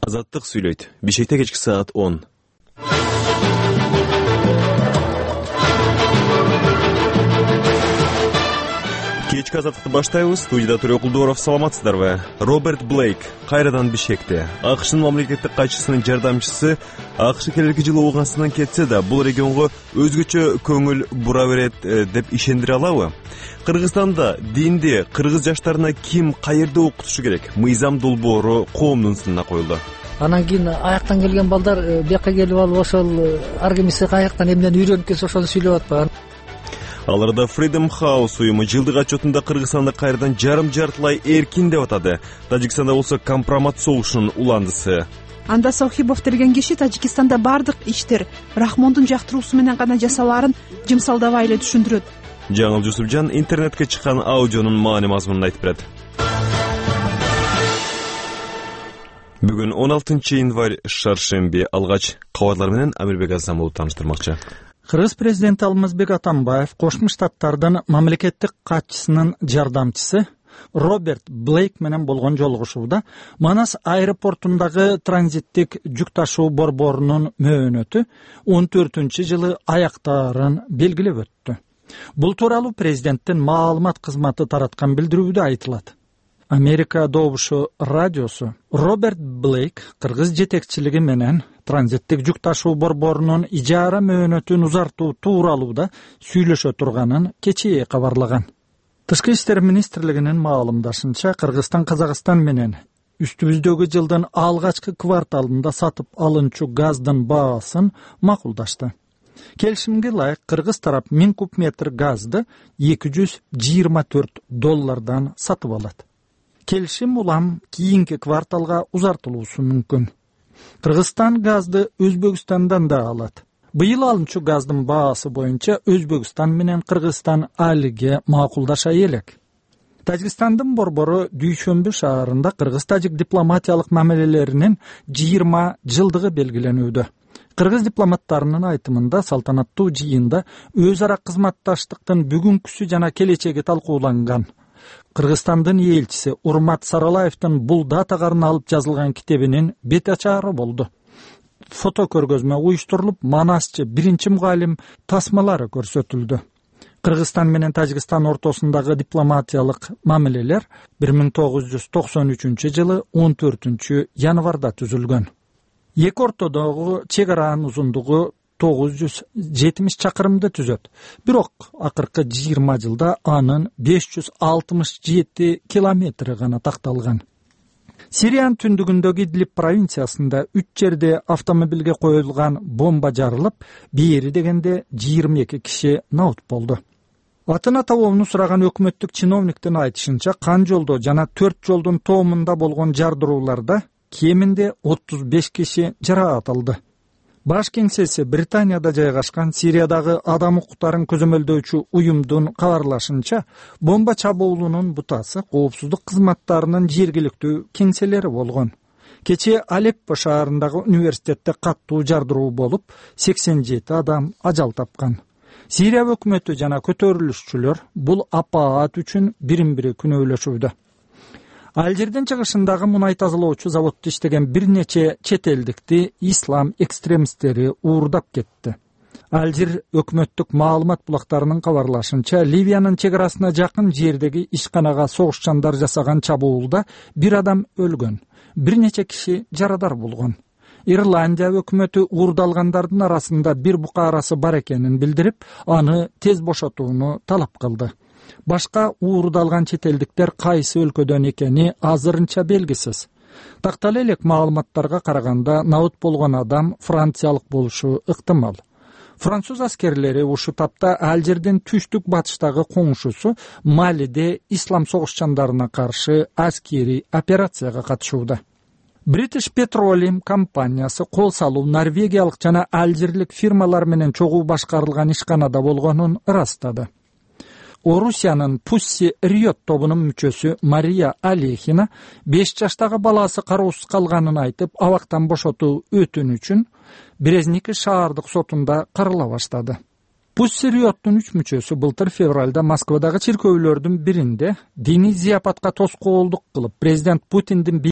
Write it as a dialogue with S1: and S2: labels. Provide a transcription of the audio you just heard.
S1: Азаттык сүйлөйт. Бишкекте кечки саат 10. Кечки азаттыкты баштайбыз. Студияда Төрө Кулдууров, саламатсыздарбы? Роберт Блейк кайрадан Бишкекте. АКШнын мамлекеттик катчысынын жардамчысы АКШ келерки жылы Уугандстан кетсе да, бул регионго өзгөчө көңүл бура берет деп ишендире алабы? Кыргызстанда динди кыргыз жаштарына ким каерде окутушу керек? Мыйзам долбоору коомдун сынына коюлду.
S2: Анан кийин аяктан келген балдар бияка келип алып ошол ар кимиси аяктан эмнени үйрөнүп келсе ошону сүйлөп атпаган.
S1: Аларда Freedom House уюму жылдык отчетунда Кыргызстанды кайрадан жарым-жартылай эркин деп атады. Тажикстанда болсо компромат согушунун уландысы.
S3: Анда Сохибов деген киши Тажикстанда бардык иштер Рахмондун жактыруусу менен гана жасалаарын жымсалдабай эле түшүндүрөт.
S1: Жаңыл Жусупжан интернетке чыккан аудионун маани мазмунун айтып берет. Бүгүн 16 январь шаршемби. Алгач кабарлар менен Амирбек Азамов тааныштырмакчы.
S4: Кыргыз президенти Алмазбек Атамбаев Кошмо Штаттардын мамлекеттик катчысынын жардамчысы Роберт Блейк менен болгон жолугушууда Манас аэропортундагы транзиттик жүк ташуу борборунун мөөнөтү 14-жылы аяктаарын белгилеп өттү. Бул тууралуу президенттин маалымат кызматы тараткан билдирүүдө айтылат. Америка Добушу радиосу Роберт Блейк кыргыз жетекчилиги менен транзиттик жүк ташуу борборунун ижара мөөнөтүн узартуу тууралууда сүйлөшө турганын кечээ кабарлаган. Тышкы иштер министрлигинин маалымдашынча, Кыргызстан Казакстан менен үстүбүздөгү жылдын алгачкы кварталында сатып алынчу газдын баасын макулдашты. Келишимге ылайык кыргыз тарап 1000 куб метр газды $224 сатып алат. Келишим улам кийинки кварталга узартылуусу мүмкүн. Кыргызстан газды Өзбекстандан да алат. Быйыл алынчу газдын баасы боюнча Өзбекстан менен Кыргызстан алиге макулдаша элек. Тажикстандын борбору Дүйшөмбү шаарында кыргыз-тажик дипломатиялык мамилелеринин 20 жылдыгы белгиленүүдө. Кыргыз дипломаттарынын айтымында салтанаттуу жыйында өз ара кызматташтыктын бүгүнкүсү жана келечеги талкууланган. Кыргызстандын элчиси Урмат Саралаевдин бул датагарын алып жазылган китебинин бет ачары болду. Фото көргөзмө уюштурулуп, Манасчы биринчи мугалим тасмалары көрсөтүлдү. Кыргызстан менен Тажикстан ортосундагы дипломатиялык мамилелер 1993-жылы 14 январда түзүлгөн. Эки ортодогу чек аранын узундугу 970 чакырымды түзөт. Бирок акыркы 20 жылда анын 567 километри гана такталган. Сириянын түндүгүндөгү Идлиб провинциясында 3 жерде автомобилге коюлган бомба жарылып, бери дегенде 22 киши набут болду. Атын атабоону сураган өкмөттүк чиновниктин айтышынча, Кан жолдо жана 4 жолдун тоомунда болгон жардырууларда кеминде 35 киши жараат алды. Баш кеңсеси Британияда жайгашкан Сириядагы адам укуктарын көзөмөлдөөчү уюмдун кабарлашынча, бомба чабуулунун бутасы коопсуздук кызматтарынын жергиликтүү кеңселери болгон. Кечээ Алеппо шаарындагы университетте каттуу жардыруу болуп, 87 адам ажал тапкан. Сирия өкмөтү жана көтөрүлүшчүлөр бул апаат үчүн бирин-бири күнөөлөшүүдө. Алжирдин чыгышындагы мунай тазалоочу заводдо иштеген бир нече чет элдикти ислам экстремисттери уурдап кетти. Алжир өкмөттүк маалымат булактарынын кабарлашынча, Ливиянын чек арасына жакын жердеги ишканага согушчандар жасаган чабуулда бир адам өлгөн, бир нече киши жарадар болгон. Ирландия өкмөтү уурдалгандардын арасында бир букаарасы бар экенин билдирип, аны тез бошотууну талап кылды. Башка уурдалган чет элдиктер кайсы өлкөдөн экени азырынча белгисиз. Тактала элек маалыматтарга караганда, набут болгон адам франциялык болушу ыктымал. Француз аскерлери ушу тапта Алжирдин түштүк батыштагы коңшусу Малиде ислам согушчандарына каршы аскери операцияга катышууда. British Petroleum компаниясы кол салуу норвегиялык жана алжирлик фирмалар менен чогуу башкарылган ишканада болгонун ырастады. Орусиянын Pussy Riot тобунун мүчөсү Мария Алехина 5 жаштагы баласы кароосуз калганын айтып, абактан бошотуу өтүнүчүн Березники шаардык сотунда карала баштады. Pussy Riot'тун 3 мүчөсү былтыр февралда Москвадагы чиркөөлөрдүн биринде диний зияпатка тоскоолдук кылып, президент Путиндин